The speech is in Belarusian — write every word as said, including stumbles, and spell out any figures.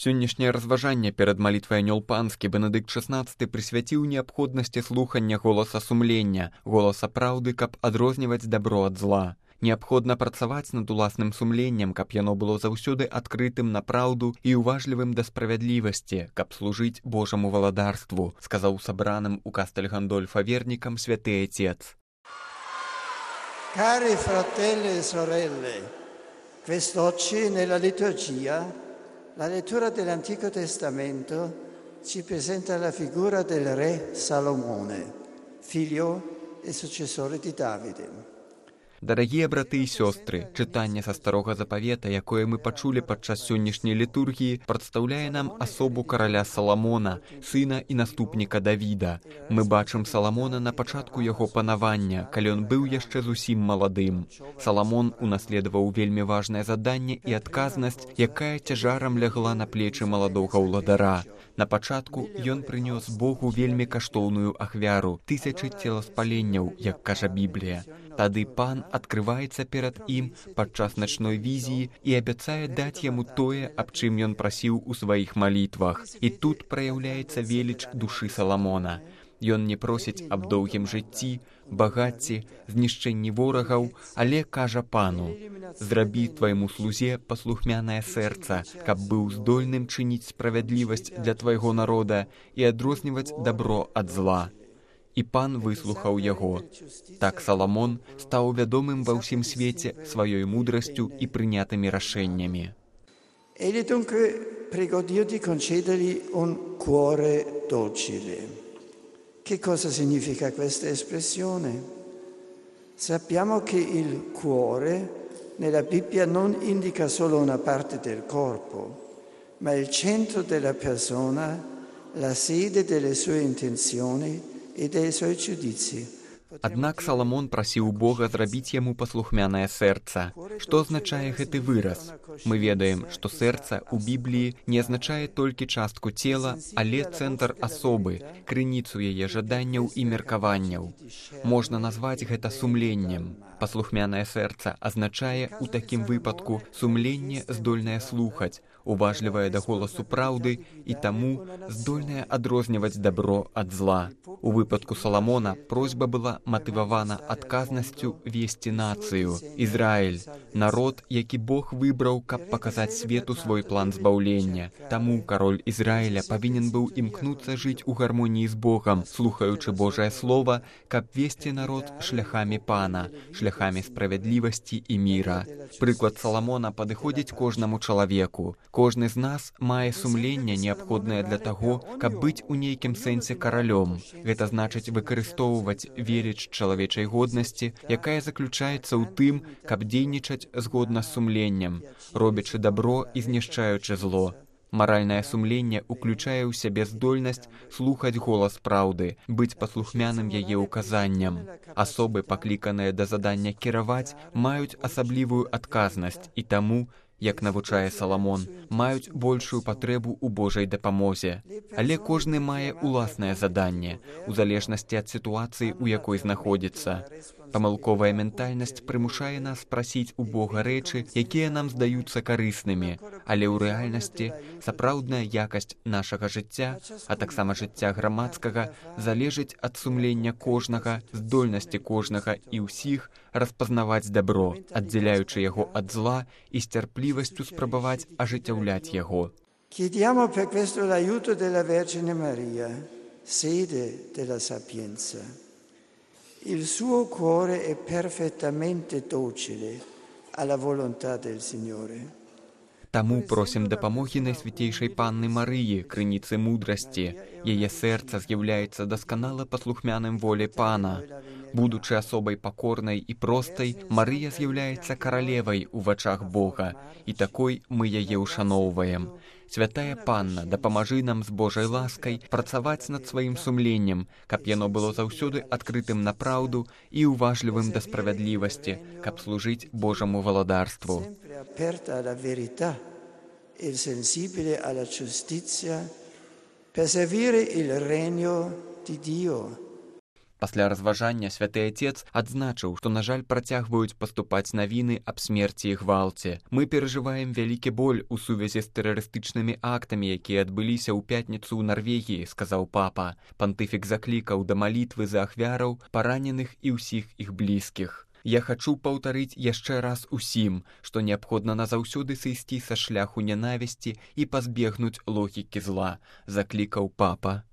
Сённяшняе разважанне перад малітвай Анёл Панскі Бенедыкт шаснаццаты прысвяціў неабходнасці слухання голаса сумлення, голаса праўды, каб адрозніваць дабро ад зла. Неабходна працаваць над уласным сумленнем, каб яно было заўсёды адкрытым на праўду і уважлівым да справядлівасці, каб служыць Божаму валадарству, сказаў сабраным у Кастель Гандольфа вернікам святы Отец. Cari fratelli e sorelle, quest'oggi nella liturgia la lettura dell'Antico Testamento ci presenta la figura del re Salomone, figlio e successore di Davide. Дарагія браты і сёстры, чытанне са старога запавета, якое мы пачулі падчас сённяшняй літургіі, прадстаўляе нам асобу караля Саламона, сына і наступніка Давіда. Мы бачым Саламона на пачатку яго панавання, калі ён быў яшчэ зусім маладым. Саламон унаследаваў вельмі важнае заданне і адказнасць, якая цяжарам лягла на плечы маладога ўладара. На пачатку ён прынёс Богу вельмі каштоўную ахвяру, тысячы целаспаленняў, як кажа Біблія. Тады пан адкрываецца перад ім падчас начной візіі і абяцае даць яму тое, аб чым ён прасіў у сваіх малітвах. І тут праяўляецца веліч душы Саламона. Ён не просіць аб доўгім жыцці, багацці, знішчэнні ворагаў, але кажа пану: «Зрабі твайму слузе паслухмянае сэрца, каб быў здольным чыніць справядлівасць для твайго народа і адрозніваць дабро ад зла». І пан выслухаў яго. Так Саламон стаў вядомым ва ўсім свеце сваёй мудрасцю і прынятымі рашэннямі. Egli dunque pregò Dio di concedergli un cuore docile. Che cosa significa questa espressione? Sappiamo che il cuore nella Bibbia non indica solo una parte del corpo, ma il centro della persona, la sede delle sue intenzioni и dei suoi giudizi. Аднак Саламон прасіў Бога зрабіць яму паслухмянае сэрца. Што азначае гэты выраз? Мы ведаем, што сэрца ў Бібліі не азначае толькі частку цела, але цэнтр асобы, крыніцу яе жаданняў і меркаванняў. Можна назваць гэта сумленнем. Паслухмянае сэрца азначае ў такім выпадку сумленне здольнае слухаць, уважлівае да голасу праўды і таму здольнае адрозніваць дабро ад зла. У выпадку Саламона просьба была матывавана адказнасцю весці нацыю, Ізраіль, народ, які Бог выбраў, каб паказаць свету свой план збаўлення. Таму кароль Ізраіля павінен быў імкнуцца жыць у гармоніі з Богам, слухаючы Божае Слова, каб весці народ шляхамі пана, шляхамі справядлівасці і міра. Прыклад Саламона падыходзіць кожнаму чалавеку. Кожны з нас мае сумленне, неабходнае для таго, каб быць у нейкім сэнсе каралём. Гэта значыць выкарыстоўваць веліч чалавечай годнасці, якая заключаецца ў тым, каб дзейнічаць згодна з сумленнем, робячы дабро і знішчаючы зло. Маральнае сумленне ўключае ў сябе здольнасць слухаць голас праўды, быць паслухмяным яе ўказанням. Асобы, пакліканыя да задання кіраваць, маюць асаблівую адказнасць і таму, як навучае Саламон, маюць большую патрэбу ў Божай дапамозе. Але кожны мае ўласнае заданне, у залежнасці ад сітуацыі, у якой знаходзіцца. Памылковая ментальнасць прымушае нас прасіць у Бога рэчы, якія нам здаюцца карыснымі, але ў рэальнасці сапраўдная якасць нашага жыцця, а таксама жыцця грамадскага, залежыць ад сумлення кожнага, здольнасці кожнага і ўсіх распазнаваць дабро, аддзяляючы яго ад зла і з цярплівасцю спрабаваць ажыццяўляць яго. Chiediamo per questo l'aiuto della Vergine Maria, sede della sapienza. Il suo cuore è perfettamente docile alla volontà del Signore. Таму просім дапамогі Найсвяцейшай Панны Марыі, крыніцы мудрасці. Яе сэрца з'яўляецца дасканала паслухмяным волі Пана. Будучы асобай пакорнай і простай, Марыя з'яўляецца каралевай у вачах Бога, і такой мы яе ўшаноўваем. Святая Панна, дапамажы нам з Божай ласкай працаваць над сваім сумленнем, каб яно было заўсёды адкрытым на праўду і уважлівым да справядлівасці, каб служыць Божаму валадарству. Aperta alla verità e sensibile alla giustizia per servire il regno di Dio. Пасля разважання святы Отец адзначыў, што, на жаль, працягваюць паступаць навіны аб смерці і гвалце. Мы перажываем вялікі боль у сувязі з тэрарыстычнымі актамі, якія адбыліся ў пятніцу ў Нарвегіі, сказаў папа. Пантыфік заклікаў да малітвы за ахвяраў, параненых і ўсіх іх блізкіх. Я хачу паўтарыць яшчэ раз усім, што неабходна назаўсёды сысці са шляху нянавісці і пазбегнуць логікі зла, заклікаў папа.